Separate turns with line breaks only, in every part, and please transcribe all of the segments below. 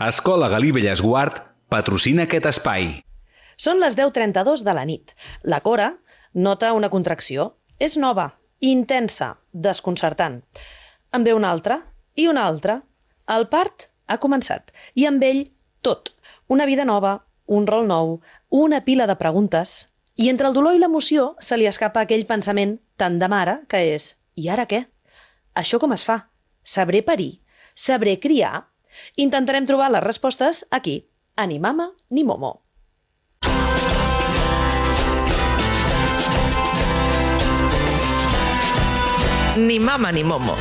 Escola Galí Bellesguard patrocina aquest espai.
Són les 10:32 de la nit. La Cora nota una contracció. És nova, intensa, desconcertant. En ve una altra i una altra. El part ha començat i amb ell tot. Una vida nova, un rol nou, una pila de preguntes. I entre el dolor i l'emoció se li escapa aquell pensament tan de mare que és: i ara què? Això com es fa? Sabré parir? Sabré criar? Intentarem trobar les respostes aquí, a Ni Mama ni Momo.
Ni Mama ni Momo.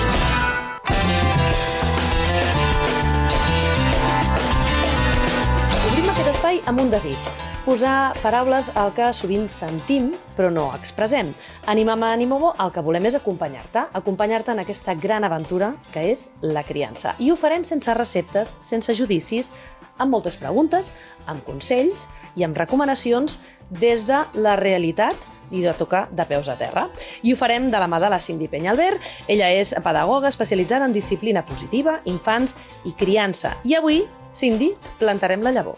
Obrim aquest espai amb un desig. Posar paraules al que sovint sentim, però no expressem. A Ni Mama ni Momo el que volem és acompanyar-te en aquesta gran aventura que és la criança. I ho farem sense receptes, sense judicis, amb moltes preguntes, amb consells i amb recomanacions des de la realitat i de tocar de peus a terra. I ho farem de la mà de la Cindy Peñalver. Ella és pedagoga especialitzada en disciplina positiva, infants i criança. I avui, Cindy, plantarem la llavor.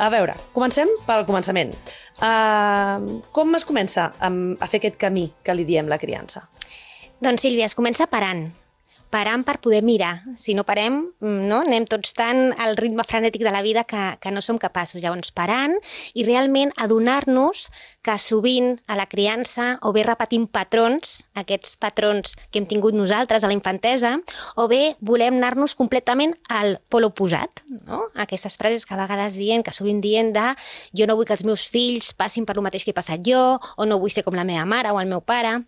A veure, comencem pel començament. Com es comença a fer aquest camí que li diem la criança?
Doncs, Sílvia, es comença parant per poder mirar. Si no parem, no? Anem tots tan al ritme frenètic de la vida que no som capaços. Llavors, parant i realment adonar-nos que sovint a la criança o bé repetim patrons, aquests patrons que hem tingut nosaltres a la infantesa, o bé volem anar-nos completament al pol oposat, no? Aquestes frases que a vegades que sovint dient de jo no vull que els meus fills passin per lo mateix que he passat jo, o no vull ser com la meva mare o el meu pare.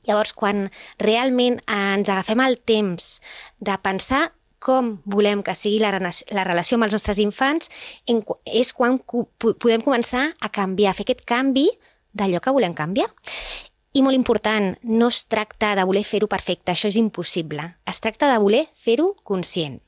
Llavors, quan realment ens agafem el temps de pensar com volem que sigui la relació amb els nostres infants, és quan podem començar a canviar, a fer aquest canvi d'allò que volem canviar. I molt important, no es tracta de voler fer-ho perfecte, això és impossible. Es tracta de voler fer-ho conscient.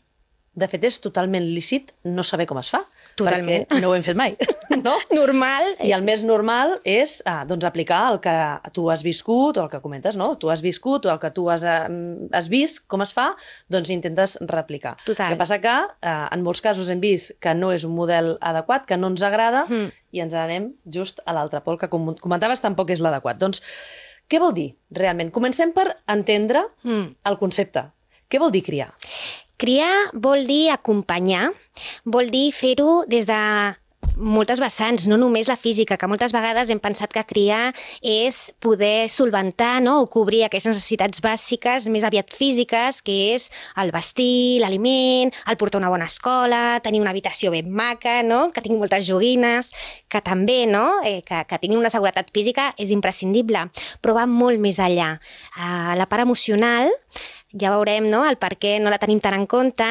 De fet, és totalment lícit no saber com es fa,
totalment,
perquè no ho hem fet mai. No?
Normal.
I el més normal és aplicar el que tu has viscut o el que comentes, no? Tu has viscut o el que tu has vist com es fa, doncs intentes replicar.
Total.
El que passa que en molts casos hem vist que no és un model adequat, que no ens agrada i ens anem just a l'altre pol, que com comentaves tampoc és l'adequat. Doncs què vol dir realment? Comencem per entendre el concepte. Què vol dir criar?
Criar vol dir acompanyar, vol dir fer-ho des de moltes vessants, no només la física, que moltes vegades hem pensat que criar és poder solventar, no? O cobrir aquestes necessitats bàsiques, més aviat físiques, que és el vestir, l'aliment, el portar a una bona escola, tenir una habitació ben maca, no? Que tingui moltes joguines, que també, no? Que tingui una seguretat física és imprescindible, però va molt més enllà. La part emocional, ja veurem, no?, el per què no la tenim tan en compte,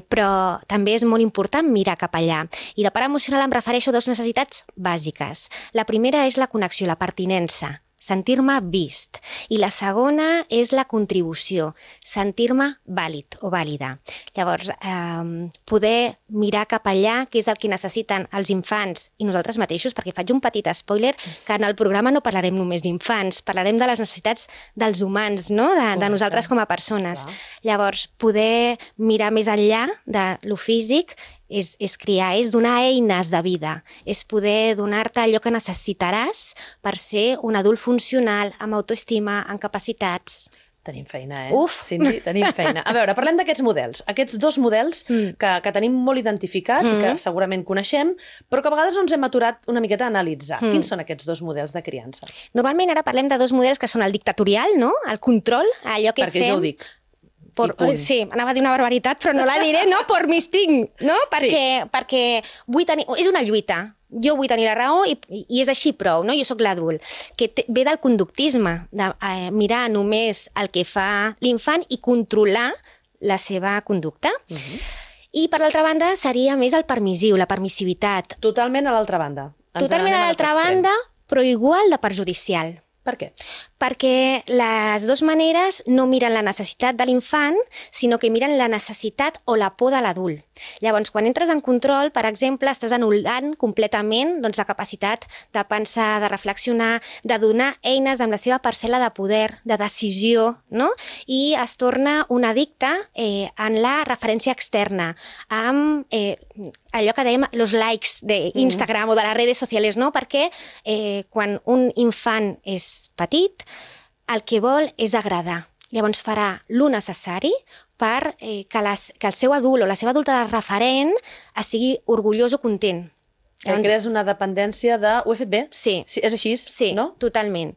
però també és molt important mirar cap allà. I la part emocional em refereixo a dues necessitats bàsiques. La primera és la connexió, la pertinença, sentir-me vist. I la segona és la contribució, sentir-me vàlid o vàlida. Llavors, poder mirar cap allà, que és el que necessiten els infants i nosaltres mateixos, perquè faig un petit spoiler, que en el programa no parlarem només d'infants, parlarem de les necessitats dels humans, no? De nosaltres com a persones.
Clar.
Llavors, poder mirar més enllà de lo físic és criar, és donar eines de vida, és poder donar-te allò que necessitaràs per ser un adult funcional, amb autoestima, amb capacitats.
Tenim feina,
Uf!
Cindy, tenim feina. A veure, parlem d'aquests models. Aquests dos models que tenim molt identificats i que segurament coneixem, però que a vegades no ens hem aturat una miqueta a analitzar. Quins són aquests dos models de criança?
Normalment ara parlem de dos models que són el dictatorial, no? El control, allò que
Perquè
fem...
jo ho dic.
Sí, anava a dir una barbaritat, però no la diré, no? Por mi instinct, no? Perquè vull tenir... És una lluita. Jo vull tenir la raó i és així prou, no? Jo sóc l'adult. Que ve del conductisme, de mirar només el que fa l'infant i controlar la seva conducta. I, per l'altra banda, seria més el permissiu, la permissivitat.
Totalment a l'altra banda.
Totalment a l'altra banda, però igual de perjudicial.
Per què?
Perquè les dues maneres no miren la necessitat de l'infant, sinó que miren la necessitat o la por de l'adult. Llavors, quan entres en control, per exemple, estàs anul·lant completament doncs, la capacitat de pensar, de reflexionar, de donar eines amb la seva parcel·la de poder, de decisió, no? I es torna un addicte en la referència externa, amb allò que dèiem, los likes d'Instagram o de les redes socials, no? Perquè quan un infant és petit, el que vol és agradar. Llavors farà lo necessari per que el seu adult o la seva adulta de referent estigui orgullós o content.
Llavors, crees una dependència de... Ho he fet bé?
Sí.
És així,
sí,
no?
Totalment.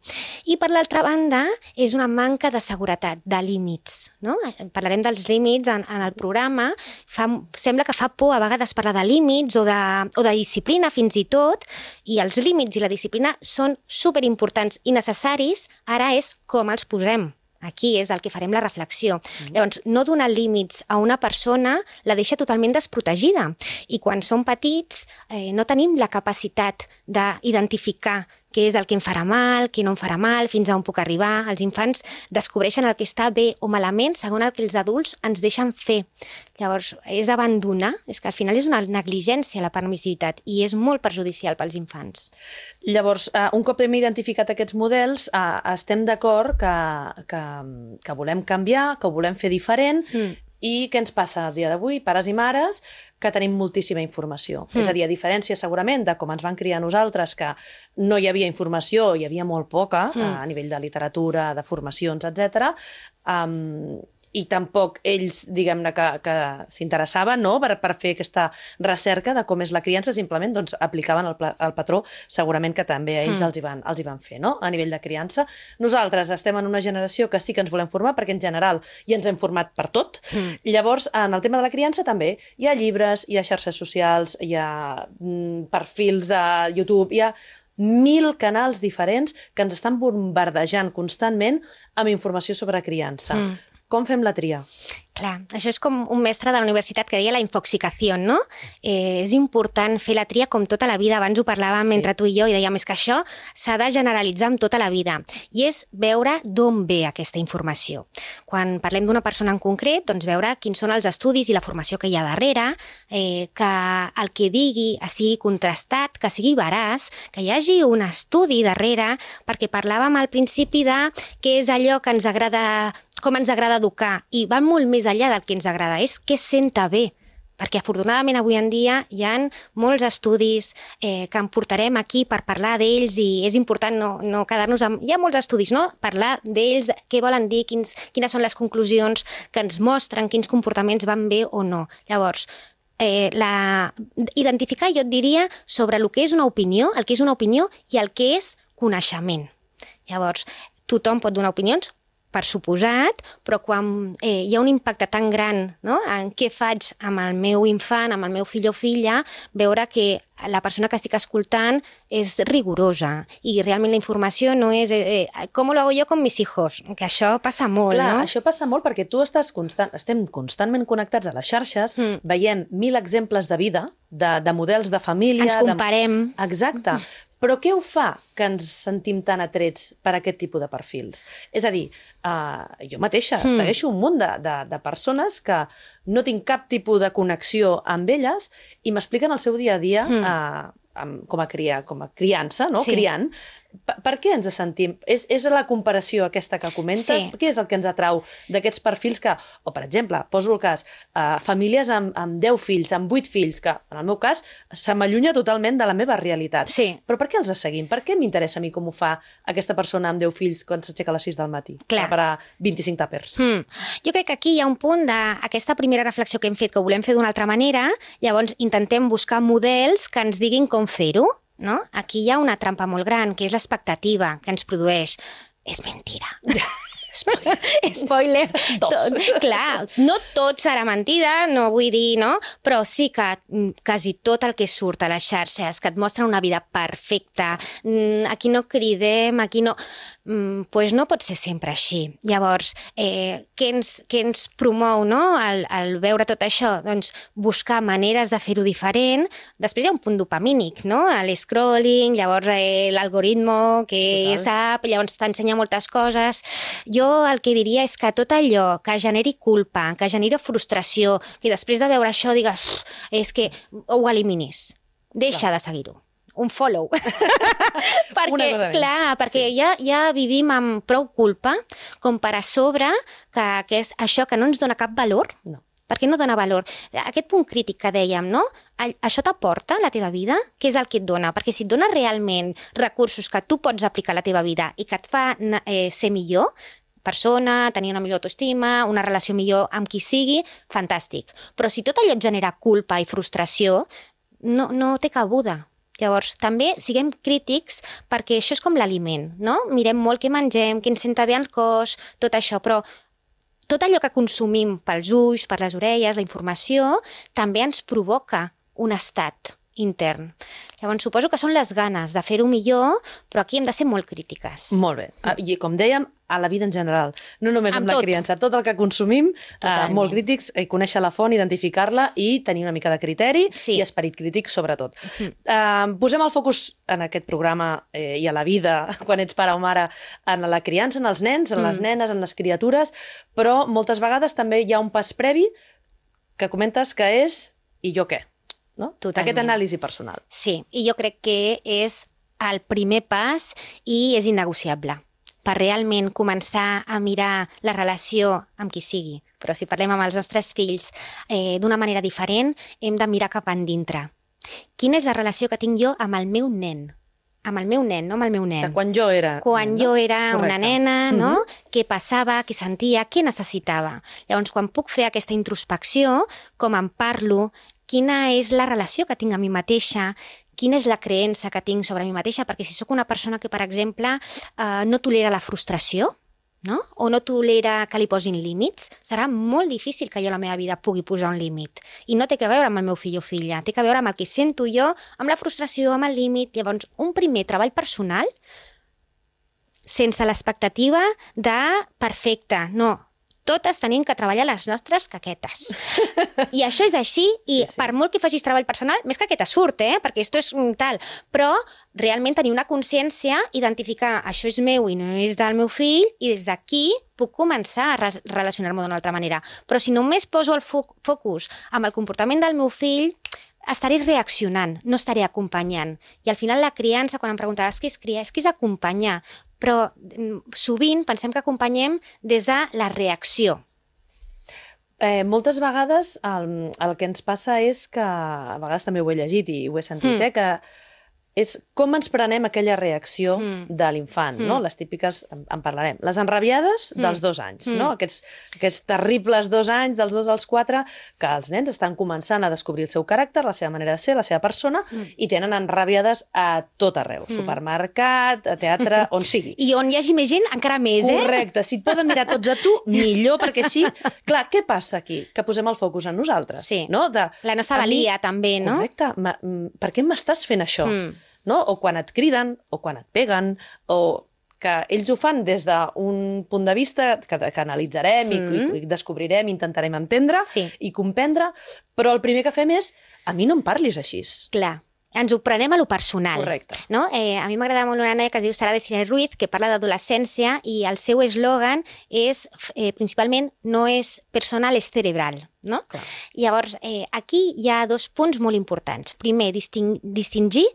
I per l'altra banda, és una manca de seguretat, de límits. No? Parlarem dels límits en el programa. Sembla que fa por a vegades parlar de límits o de disciplina fins i tot, i els límits i la disciplina són superimportants i necessaris, ara és com els posem. Aquí és el que farem la reflexió. Llavors, no donar límits a una persona la deixa totalment desprotegida. I quan som petits no tenim la capacitat d'identificar què és el que em farà mal, què no em farà mal, fins a on puc arribar. Els infants descobreixen el que està bé o malament segons el que els adults ens deixen fer. Llavors, és abandonar, és que al final és una negligència la permissivitat i és molt perjudicial pels infants.
Llavors, un cop hem identificat aquests models, estem d'acord que volem canviar, que ho volem fer diferent, i què ens passa a dia d'avui, pares i mares, que tenim moltíssima informació. És a dir, a diferència segurament de com ens van criar nosaltres, que no hi havia informació, hi havia molt poca a nivell de literatura, de formacions, etc. I tampoc ells, diguem-ne, que s'interessaven, no?, per fer aquesta recerca de com és la criança, simplement doncs, aplicaven el patró, segurament que també a ells els hi van fer, no?, a nivell de criança. Nosaltres estem en una generació que sí que ens volem formar, perquè en general ja ens hem format per tot. Llavors, en el tema de la criança també hi ha llibres, hi ha xarxes socials, hi ha perfils de YouTube, hi ha 1000 canals diferents que ens estan bombardejant constantment amb informació sobre criança. Com fem la tria?
Clar, això és com un mestre de la universitat que deia la infoxicació, no? És important fer la tria com tota la vida. Abans ho parlàvem entre tu i jo i dèiem que això s'ha de generalitzar amb tota la vida. I és veure d'on ve aquesta informació. Quan parlem d'una persona en concret, doncs veure quins són els estudis i la formació que hi ha darrere, que el que digui estigui contrastat, que sigui veraç, que hi hagi un estudi darrere, perquè parlàvem al principi de què és allò que ens agrada, com ens agrada educar, i va molt més enllà del que ens agrada, és què senta bé, perquè afortunadament avui en dia hi ha molts estudis que en portarem aquí per parlar d'ells, i és important no quedar-nos amb... Hi ha molts estudis, no?, parlar d'ells, què volen dir, quines són les conclusions que ens mostren, quins comportaments van bé o no. Llavors, identificar, jo et diria, sobre el que és una opinió, el que és una opinió i el que és coneixement. Llavors, tothom pot donar opinions, per suposat, però quan hi ha un impacte tan gran, no?, en què faig amb el meu infant, amb el meu fill o filla, veure que la persona que estic escoltant és rigorosa i realment la informació no és com lo hago yo con mis hijos, que això passa molt,
Clar,
no?
Això passa molt perquè tu estem constantment connectats a les xarxes, veiem 1000 exemples de vida, de models de família...
Ens comparem.
Exacte. Però què ho fa que ens sentim tan atrets per aquest tipus de perfils? És a dir, jo mateixa segueixo un munt de persones que no tinc cap tipus de connexió amb elles i m'expliquen el seu dia a dia com a criança, no?
Sí.
Criant. Per què ens sentim? És la comparació aquesta que comentes?
Sí.
Què és el que ens atrau d'aquests perfils que, o per exemple, poso el cas, famílies amb 10 fills, amb 8 fills, que en el meu cas se m'allunya totalment de la meva realitat.
Sí.
Però per què els seguim? Per què m'interessa a mi com ho fa aquesta persona amb 10 fills quan s'aixeca a les 6 del matí?
Clar.
Per a 25 tàpers.
Jo crec que aquí hi ha un punt d'aquesta primera reflexió que hem fet, que ho volem fer d'una altra manera, llavors intentem buscar models que ens diguin com fer-ho, no? Aquí hi ha una trampa molt gran, que és l'expectativa que ens produeix. És mentira. Spoiler. Clar, no tot serà mentida, no vull dir, no? Però sí que quasi tot el que surt a les xarxes, que et mostra una vida perfecta, aquí no cridem, aquí no... Pues no pot ser sempre així. Llavors, què ens promou, no? Al veure tot això? Doncs buscar maneres de fer-ho diferent. Després hi ha un punt dopamínic, no? L'escrolling, llavors l'algoritmo que ja sap, llavors t'ensenya moltes coses. Jo el que diria és que tot allò que generi culpa, que generi frustració, que després de veure això digues és que ho eliminis. Deixa de seguir-ho. Un follow. perquè ja vivim amb prou culpa com per a sobre que és això que no ens dona cap valor.
No.
Perquè no dona valor. Aquest punt crític que dèiem, no? Això t'aporta a la teva vida? Què és el que et dona? Perquè si et dona realment recursos que tu pots aplicar a la teva vida i que et fa ser millor, persona, tenir una millor autoestima, una relació millor amb qui sigui, fantàstic. Però si tot allò et genera culpa i frustració, no té cabuda. Llavors, també siguem crítics perquè això és com l'aliment, no? Mirem molt què mengem, què ens senta bé al cos, tot això, però tot allò que consumim pels ulls, per les orelles, la informació, també ens provoca un estat intern. Llavors, suposo que són les ganes de fer-ho millor, però aquí hem de ser molt crítiques.
Molt bé. I com dèiem, a la vida en general, no només amb la criança, tot el que consumim, molt crítics, conèixer la font, identificar-la i tenir una mica de criteri i esperit crític sobretot. Posem el focus en aquest programa i a la vida, quan ets pare o mare, en la criança, en els nens, en les nenes, en les criatures, però moltes vegades també hi ha un pas previ que comentes que és i jo què? No? Aquest anàlisi personal.
Sí, i jo crec que és el primer pas i és innegociable per realment començar a mirar la relació amb qui sigui. Però si parlem amb els nostres fills d'una manera diferent, hem de mirar cap endintre. Quina és la relació que tinc jo amb el meu nen? Amb el meu nen, no amb el meu nen.
De quan jo era...
Quan jo era una nena, no? Què passava, què sentia, què necessitava. Llavors, quan puc fer aquesta introspecció, com en parlo, quina és la relació que tinc amb mi mateixa, quina és la creença que tinc sobre mi mateixa, perquè si sóc una persona que, per exemple, no tolera la frustració, no? O no tolera que li posin límits, serà molt difícil que jo a la meva vida pugui posar un límit. I no té que veure amb el meu fill o filla, té que veure amb el que sento jo, amb la frustració, amb el límit. Llavors, un primer treball personal sense l'expectativa de perfecte, no. Totes tenim que treballar les nostres caquetes. I això és així, i per molt que facis treball personal, més caqueta surt, perquè esto és tal, però realment tenir una consciència, identificar això és meu i no és del meu fill, i des d'aquí puc començar a relacionar-me d'una altra manera. Però si només poso el focus amb el comportament del meu fill, estaré reaccionant, no estaré acompanyant. I al final la criança, quan em preguntaves què és criar, és que és acompanyar. Però sovint pensem que acompanyem des de la reacció.
Moltes vegades el que ens passa és que, a vegades també ho he llegit i ho he sentit, que és com ens prenem aquella reacció de l'infant, no? Les típiques, en parlarem, les enrabiades dels 2 anys, no? Aquests terribles 2 anys, dels 2 als 4, que els nens estan començant a descobrir el seu caràcter, la seva manera de ser, la seva persona, i tenen enrabiades a tot arreu, supermercat, a teatre, on sigui.
I on hi hagi més gent, encara més,
Correcte, si et poden mirar tots a tu, millor, perquè així... Clar, què passa aquí? Que posem el focus en nosaltres, no?
La nostra valia, també, no?
Correcte, per què m'estàs fent això? No? O quan et criden, o quan et peguen, o que ells ho fan des d'un punt de vista que analitzarem i descobrirem, intentarem entendre i comprendre, però el primer que fem és a mi no em parlis així.
Clar. Ens ho prenem a lo personal.
Correcte.
No? A mi m'agrada molt una noia que es diu Sara Desiree Ruiz, que parla d'adolescència i el seu eslògan és, principalment, no és personal, és cerebral. No? Llavors, aquí hi ha 2 punts molt importants. Primer, distingir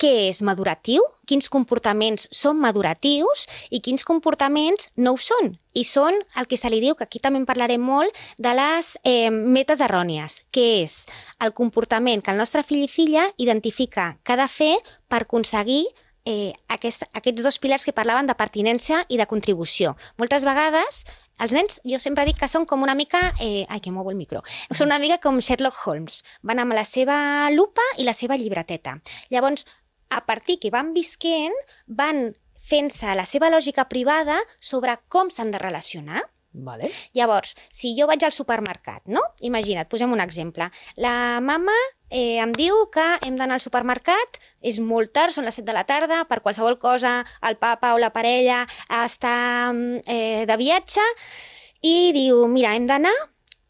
què és maduratiu, quins comportaments són maduratius i quins comportaments no ho són. I són el que se li diu, que aquí també en parlarem molt, de les metes errònies, que és el comportament que el nostre fill i filla identifica que ha de fer per aconseguir aquests 2 pilars que parlaven de pertinença i de contribució. Moltes vegades, els nens, jo sempre dic que són com una mica... Ai, que movo el micro. Són una mica com Sherlock Holmes. Van amb la seva lupa i la seva llibreteta. Llavors, a partir que van visquent, van fent-se la seva lògica privada sobre com s'han de relacionar.
Vale.
Llavors, si jo vaig al supermercat, no? Imagina't, posem un exemple. La mama em diu que hem d'anar al supermercat, és molt tard, són les 7 de la tarda, per qualsevol cosa el papa o la parella està de viatge i diu, mira, hem d'anar,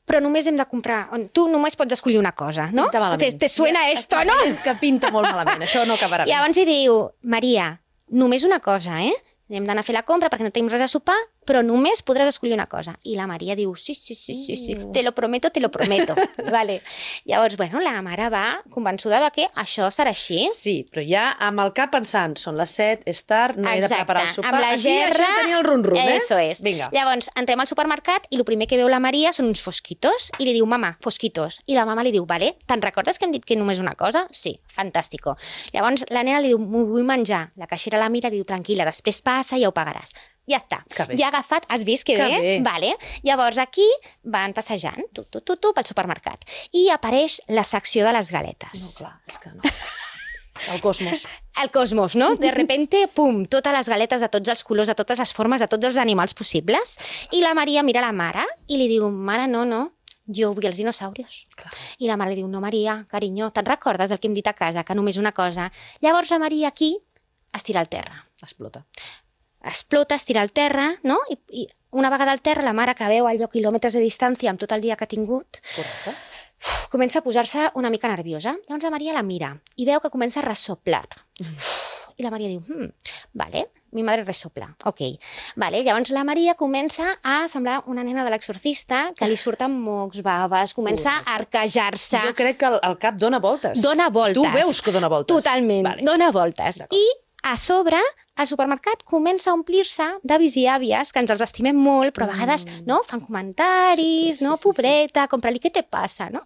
però només hem de comprar... Tu només pots escollir una cosa, no?
Pinta malament.
Te suena esto, no?
Que pinta molt malament, això no acabarà bé.
Llavors hi diu, Maria, només una cosa, Hem d'anar a fer la compra perquè no tenim res a sopar, però només podràs escollir una cosa. I la Maria diu, sí, te lo prometo. Vale. Llavors, bueno, la mare va convençuda de que això serà així.
Sí, però ja amb el cap pensant, són les 7, és tard, no he de preparar el sopar.
Amb la gerra...
Aquí això tenia el rum-rum,
Eso es.
Vinga.
Llavors, entrem al supermercat i el primer que veu la Maria són uns fosquitos i li diu, mama, fosquitos. I la mama li diu, vale, te'n recordes que hem dit que només una cosa? Sí, fantàstico. Llavors, la nena li diu, m'ho vull menjar. La caixera la mira i diu, tranquil·la, després passa i ja ho pagaràs. Ja està. Ja ha agafat, has vist que bé? Vale. Llavors aquí van passejant, pel supermercat. I apareix la secció de les galetes.
No, clar, és que no. El cosmos.
El cosmos, no? De repente, pum, totes les galetes de tots els colors, de totes les formes, de tots els animals possibles. I la Maria mira la mare i li diu, mare, no, jo vull els dinosaurios.
Clar.
I la mare li diu, no, Maria, carinyo, te'n recordes del que hem dit a casa, que només una cosa? Llavors la Maria aquí es tira al terra. Explota, es tira al terra, no? I una vegada al terra, la mare que veu allò quilòmetres de distància amb tot el dia que ha tingut,
Correcte.
Comença a posar-se una mica nerviosa. Llavors la Maria la mira i veu que comença a ressoplar. I la Maria diu, vale, mi madre resopla, ok. Vale, llavors la Maria comença a semblar una nena de l'exorcista que li surten mocs, baves, comença a arquejar-se.
Jo crec que el cap dona voltes.
Dona voltes.
Tu veus que dona voltes.
Totalment, vale. Dona voltes. I a sobre, el supermercat comença a omplir-se d'avis i àvies, que ens els estimem molt, però a vegades no, fan comentaris, no, pobreta, compra-li, què te passa, no?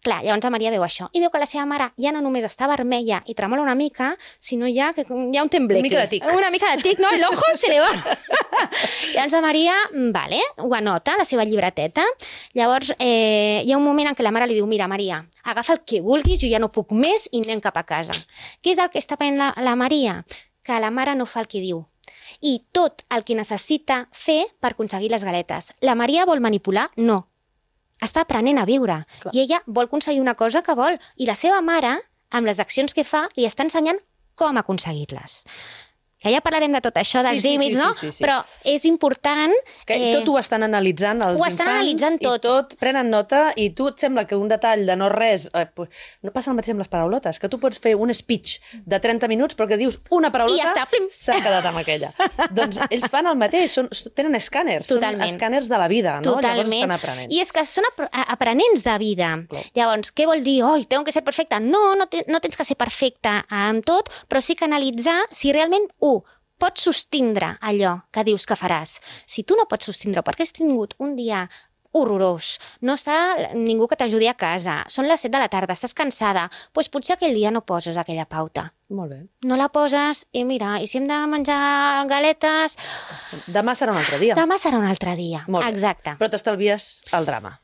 Clar, llavors la Maria veu això, i veu que la seva mare ja no només està vermella i tremola una mica, sinó ja que hi ha un tembleque.
Una mica de tic.
Una mica de tic, no? El ojo se le va. Llavors la Maria, vale, ho anota, la seva llibreteta. Llavors hi ha un moment en què la mare li diu, mira, Maria, agafa el que vulguis, jo ja no puc més i anem cap a casa. Què és el que està prenent la Maria? Que la mare no fa el que diu. I tot el que necessita fer per aconseguir les galetes. La Maria vol manipular? No. Està aprenent a viure. Clar. I ella vol aconseguir una cosa que vol. I la seva mare, amb les accions que fa, li està ensenyant com aconseguir-les. Que ja parlarem de tot això, dels límits, no? Sí. Però és important...
Que tot ho estan analitzant els infants. Ho estan analitzant tot. I tot prenen nota i tu et sembla que un detall de no res... no passa el mateix amb les paraulotes, que tu pots fer un speech de 30 minuts però que dius una paraulota i ja està, s'ha quedat amb aquella. Doncs ells fan el mateix, tenen escàners, són escàners de la vida, no?
Totalment.
Llavors estan aprenent.
I és que són aprenents de vida. Clar. Llavors, què vol dir? Tengo que ser perfecta. No tens que ser perfecta amb tot, però sí que analitzar si realment, pots sostindre allò que dius que faràs. Si tu no pots sostindre perquè has tingut un dia horrorós, no està ningú que t'ajudi a casa, són les 7 de la tarda, estàs cansada, doncs potser aquell dia no poses aquella pauta.
Molt bé.
No la poses i mira, i si hem de menjar galetes...
Demà serà un altre dia.
Demà serà un altre dia, exacte.
Però t'estalvies el drama.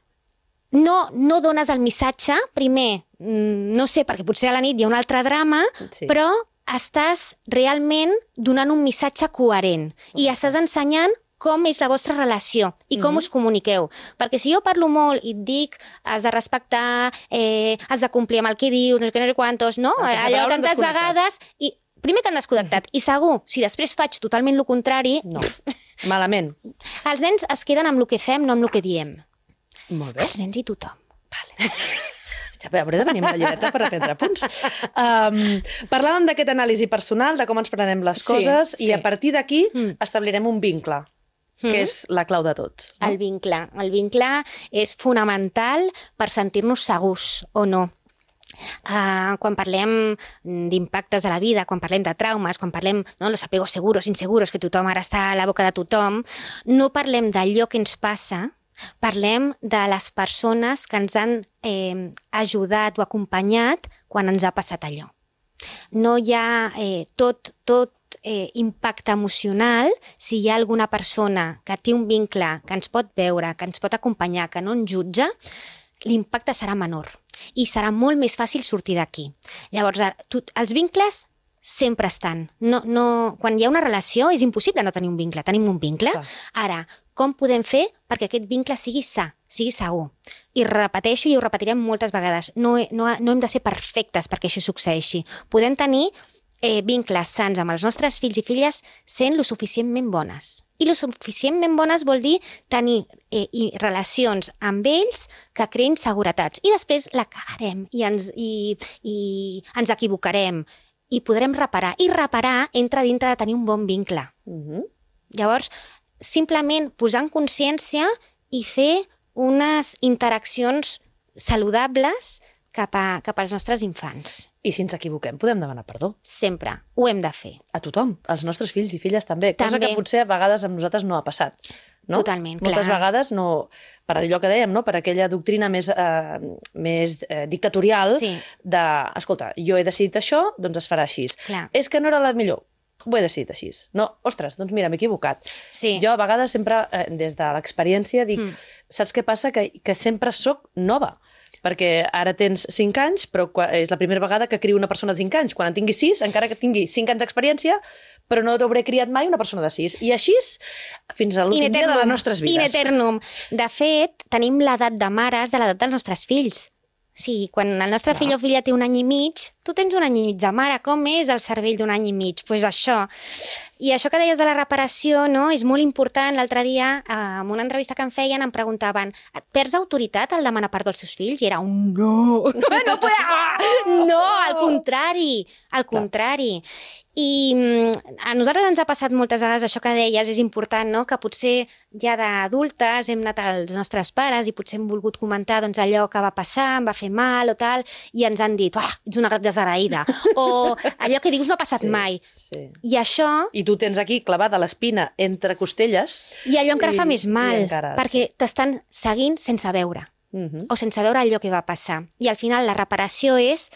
No dones el missatge, primer, no sé, perquè potser a la nit hi ha un altre drama, però estàs realment donant un missatge coherent i estàs ensenyant com és la vostra relació i com us comuniqueu. Perquè si jo parlo molt i et dic has de respectar, has de complir amb el que dius, no sé què, no sé quantos, no? Allò tantes vegades... I primer que han desconnectat. I segur, si després faig totalment el contrari...
No, malament.
Els nens es queden amb el que fem, no amb el que diem.
Molt bé.
Els nens i tothom.
Vale. Ja hauré de venir amb la llibreta per aprendre punts. Parlàvem d'aquest anàlisi personal, de com ens prenem les coses, i a partir d'aquí establirem un vincle, que és la clau de tot.
No? El vincle és fonamental per sentir-nos segurs o no. Quan parlem d'impactes a la vida, quan parlem de traumes, quan parlem los apegos seguros, inseguros, que tothom ara està a la boca de tothom, no parlem d'allò que ens passa, parlem de les persones que ens han ajudat o acompanyat quan ens ha passat allò. No hi ha tot impacte emocional si hi ha alguna persona que té un vincle, que ens pot veure, que ens pot acompanyar, que no ens jutja, l'impacte serà menor i serà molt més fàcil sortir d'aquí. Llavors, els vincles sempre estan. Quan hi ha una relació és impossible no tenir un vincle. Tenim un vincle.
Clar.
Ara, com podem fer perquè aquest vincle sigui sa, sigui segur? I repeteixo i ho repetirem moltes vegades. No hem de ser perfectes perquè això succeeixi. Podem tenir vincles sants amb els nostres fills i filles sent lo suficientment bones. I lo suficientment bones vol dir tenir relacions amb ells que creïn seguretats. I després la cagarem i ens equivocarem i podrem reparar. I reparar entra dintre de tenir un bon vincle. Llavors, simplement posar en consciència i fer unes interaccions saludables cap als nostres infants.
I si ens equivoquem, podem demanar perdó.
Sempre. Ho hem de fer.
A tothom, als nostres fills i filles també. Cosa que potser a vegades amb nosaltres no ha passat. No?
Totalment,
Moltes
clar.
vegades, no, per allò que dèiem, no? Per aquella doctrina més dictatorial de, escolta, jo he decidit això, doncs es farà així.
Clar.
És que no era la millor. Ho he decidit així. No, ostres, doncs mira, m'he equivocat.
Sí.
Jo a vegades sempre, des de l'experiència, dic, saps què passa? Que sempre sóc nova. Perquè ara tens 5 anys, però és la primera vegada que crio una persona de 5 anys. Quan en tingui 6, encara que tingui 5 anys d'experiència, però no t'hauré criat mai una persona de 6. I així, fins a l'últim dia de les nostres vides.
In eternum. De fet, tenim l'edat de mares de l'edat dels nostres fills. Sí, quan el nostre fill o filla té 1 any i mig, tu tens 1 any i mig de mare. Com és el cervell d'1 any i mig? Doncs pues això. I això que deies de la reparació, no? És molt important. L'altre dia, en una entrevista que em feien, em preguntaven, et perds autoritat al demanar perdó als seus fills? I era un no. No, al contrari. Al contrari. I a nosaltres ens ha passat moltes vegades això que deies, és important, no? Que potser ja d'adultes hem anat als nostres pares i potser hem volgut comentar doncs, allò que va passar, em va fer mal o tal, i ens han dit, ets una desagraïda, o allò que dius no ha passat mai.
Sí.
I això...
I tu tens aquí clavada l'espina entre costelles.
I allò encara fa més mal,
encara,
perquè t'estan seguint sense veure, o sense veure allò que va passar. I al final la reparació és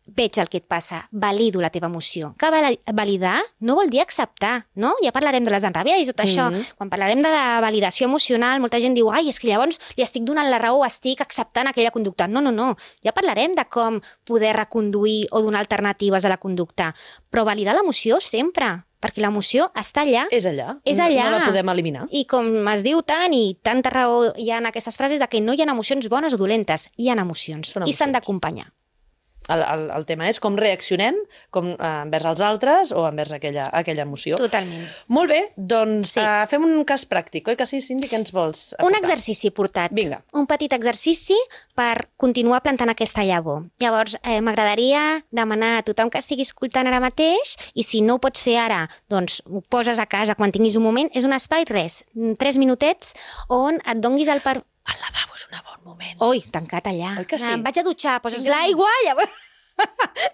veig el que et passa, valido la teva emoció. Que validar no vol dir acceptar, no? Ja parlarem de les enrabiades i tot això. Quan parlarem de la validació emocional, molta gent diu, ai, és que llavors li estic donant la raó o estic acceptant aquella conducta. No, no, no. Ja parlarem de com poder reconduir o donar alternatives a la conducta. Però validar l'emoció sempre, perquè l'emoció està allà.
És allà.
És allà.
No la podem eliminar.
I com es diu tant i tanta raó hi ha en aquestes frases de que no hi ha emocions bones o dolentes, hi ha emocions. I s'han d'acompanyar.
El tema és com reaccionem envers els altres o envers aquella emoció.
Totalment.
Molt bé, doncs fem un cas pràctic, oi que sí, Cindy? Què ens vols aportar?
Un exercici portat.
Vinga.
Un petit exercici per continuar plantant aquesta llavor. Llavors, m'agradaria demanar a tothom que estigui escoltant ara mateix, i si no ho pots fer ara, doncs ho poses a casa quan tinguis un moment, és un espai, 3 minutets, on et donguis el per...
El lavabo és un bon moment.
Oi, tancat allà.
Oi que sí?
Em vaig a dutxar, poses l'aigua, llavors...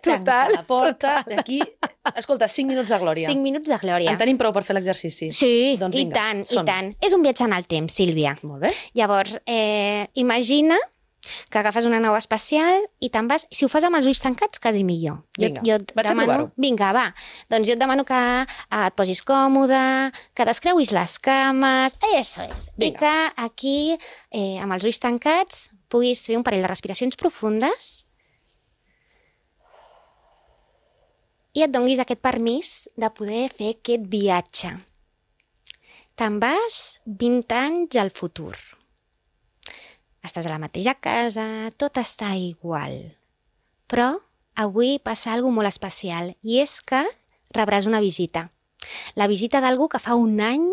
Tanca la porta, aquí... Escolta, 5 minuts de glòria.
5 minuts de glòria.
En tenim prou per fer l'exercici.
Sí,
doncs
i
vinga,
tant, i tant. És un viatge en el temps, Sílvia.
Molt bé.
Llavors, imagina que agafes una nau espacial i te'n vas... Si ho fas amb els ulls tancats, quasi millor.
Vinga,
vaig a provar-ho. Vinga, va. Doncs jo et demano que et posis còmode, que descreuis les cames... Això és. Vinga. I que aquí, amb els ulls tancats, puguis fer un parell de respiracions profundes i et donguis aquest permís de poder fer aquest viatge. Te'n vas 20 anys al futur. Estàs a la mateixa casa, tot està igual. Però avui passa alguna cosa molt especial, i és que rebràs una visita. La visita d'algú que fa 1 any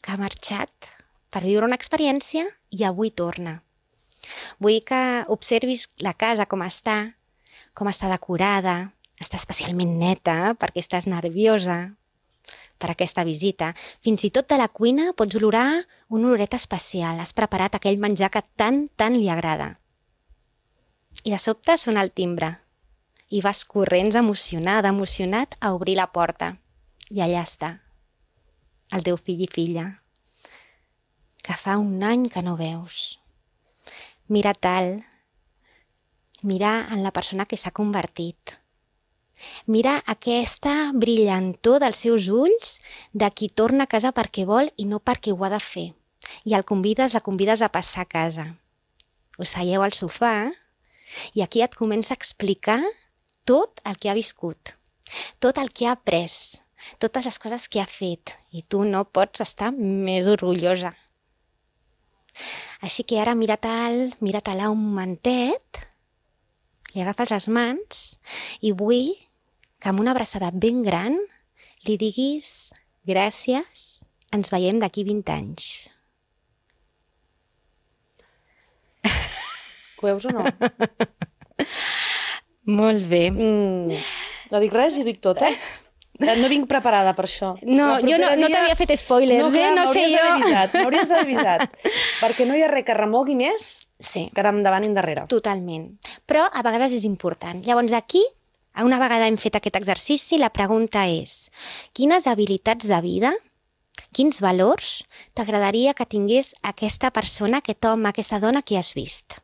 que ha marxat per viure una experiència i avui torna. Vull que observis la casa com està decorada, està especialment neta perquè estàs nerviosa per aquesta visita. Fins i tot de la cuina pots olorar una oloreta especial. Has preparat aquell menjar que tant li agrada. I de sobte sona el timbre. I vas corrents emocionat a obrir la porta. I allà està, el teu fill i filla, que fa 1 any que no veus. Mira en la persona que s'ha convertit. Mira aquesta brillantor dels seus ulls de qui torna a casa perquè vol i no perquè ho ha de fer. I la convides a passar a casa. Us seieu al sofà i aquí et comença a explicar tot el que ha viscut. tot el que ha après, totes les coses que ha fet, i tu no pots estar més orgullosa. Així que ara mira-te-la un momentet, li agafes les mans i vull que amb una abraçada ben gran li diguis gràcies, ens veiem d'aquí 20 anys.
Ho veus o no?
Molt bé.
No dic res i ho dic tot, eh? No vinc preparada per això.
No, jo no t'havia fet spoilers,
clar,
no sé jo.
M'hauries d'haver avisat. Perquè no hi ha res que remogui més
Sí,
que anar endavant i endarrere.
totalment. Però a vegades és important. Llavors aquí, una vegada hem fet aquest exercici, la pregunta és: quines habilitats de vida, quins valors t'agradaria que tingués aquesta persona, aquest home, aquesta dona que has vist?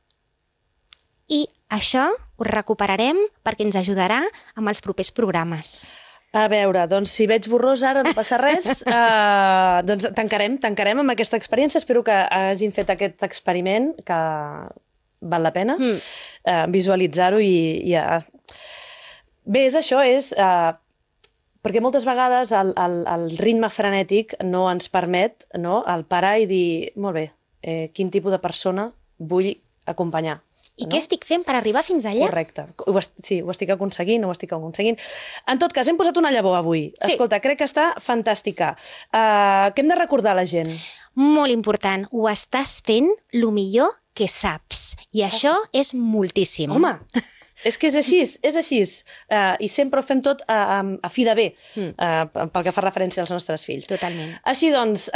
I això ho recuperarem perquè ens ajudarà amb els propers programes.
A veure, doncs si veig borrós ara no passa res, doncs tancarem amb aquesta experiència. Espero que hagin fet aquest experiment, que val la pena visualitzar-ho i bé, és això, perquè moltes vegades el ritme frenètic no ens permet el parar i dir, molt bé, quin tipus de persona vull acompanyar.
I què estic fent per arribar fins allà?
Correcte. Sí, ho estic aconseguint, ho estic aconseguint. En tot cas, hem posat una llavor avui.
Sí.
Escolta, crec que està fantàstica. Què hem de recordar a la gent?
Molt important, ho estàs fent el millor que saps. I això és moltíssim.
Home, és que és així. I sempre ho fem tot a fi de bé, pel que fa referència als nostres fills.
Totalment.
Així doncs,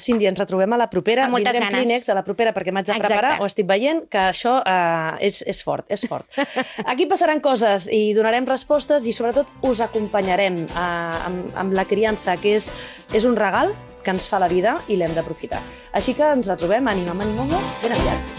Sílvia, ens retrobem a la propera.
Amb moltes
Vindrem
ganes.
Kleenex a la propera perquè m'haig de preparar. Ho estic veient, que això és fort, és fort. Aquí passaran coses i donarem respostes i sobretot us acompanyarem amb la criança, que és un regal que ens fa la vida i l'hem d'aprofitar. Així que ens retrobem, Ànima, ben aviat.